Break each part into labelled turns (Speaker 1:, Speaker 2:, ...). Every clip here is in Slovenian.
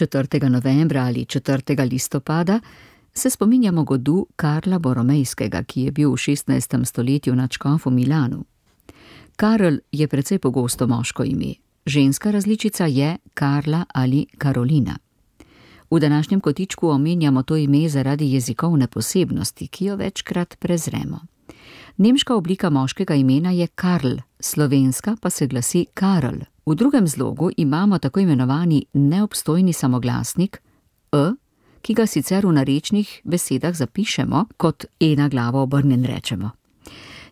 Speaker 1: 4. novembra ali 4. listopada se spominjamo godu Karla Boromejskega, ki je bil v 16. stoletju nadškof v Milanu. Karl je precej pogosto moško ime, ženska različica je Karla ali Karolina. V današnjem kotičku omenjamo to ime zaradi jezikovne posebnosti, ki jo večkrat prezremo. Nemška oblika moškega imena je Karl, slovenska pa se glasi Karl. V drugem zlogu imamo tako imenovani neobstojni samoglasnik e, ki ga sicer v narečnih besedah zapišemo, kot na glavo obrnjen rečemo.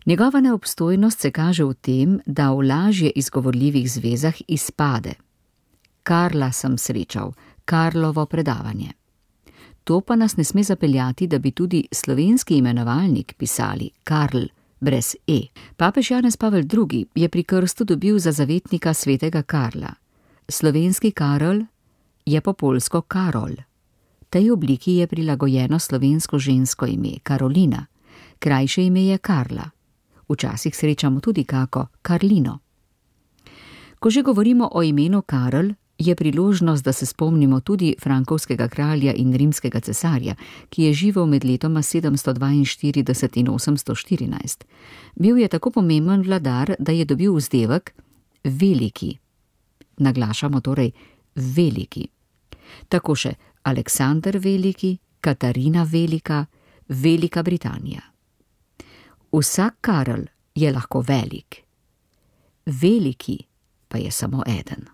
Speaker 1: Njegova neobstojnost se kaže v tem, da v lažje izgovorljivih zvezah izpade. Karla sem srečal, Karlovo predavanje. To pa nas ne sme zapeljati, da bi tudi slovenski imenovalnik pisali Karl brez e. Papež Janez Pavel II. Je pri krstu dobil za zavetnika svetega Karla. Slovenski Karol je po poljsko Karol. Tej obliki je prilagojeno slovensko žensko ime Karolina, krajše ime je Karla. Včasih srečamo tudi kako Karlino. Ko že govorimo o imenu Karl, je priložnost, da se spomnimo tudi frankovskega kralja in rimskega cesarja, ki je živel med letoma 742 in 814. Bil je tako pomemben vladar, da je dobil vzdevek veliki. Naglašamo torej veliki. Tako še Aleksander Veliki, Katarina Velika, Velika Britanija. Vsak Karl je lahko velik. Veliki pa je samo eden.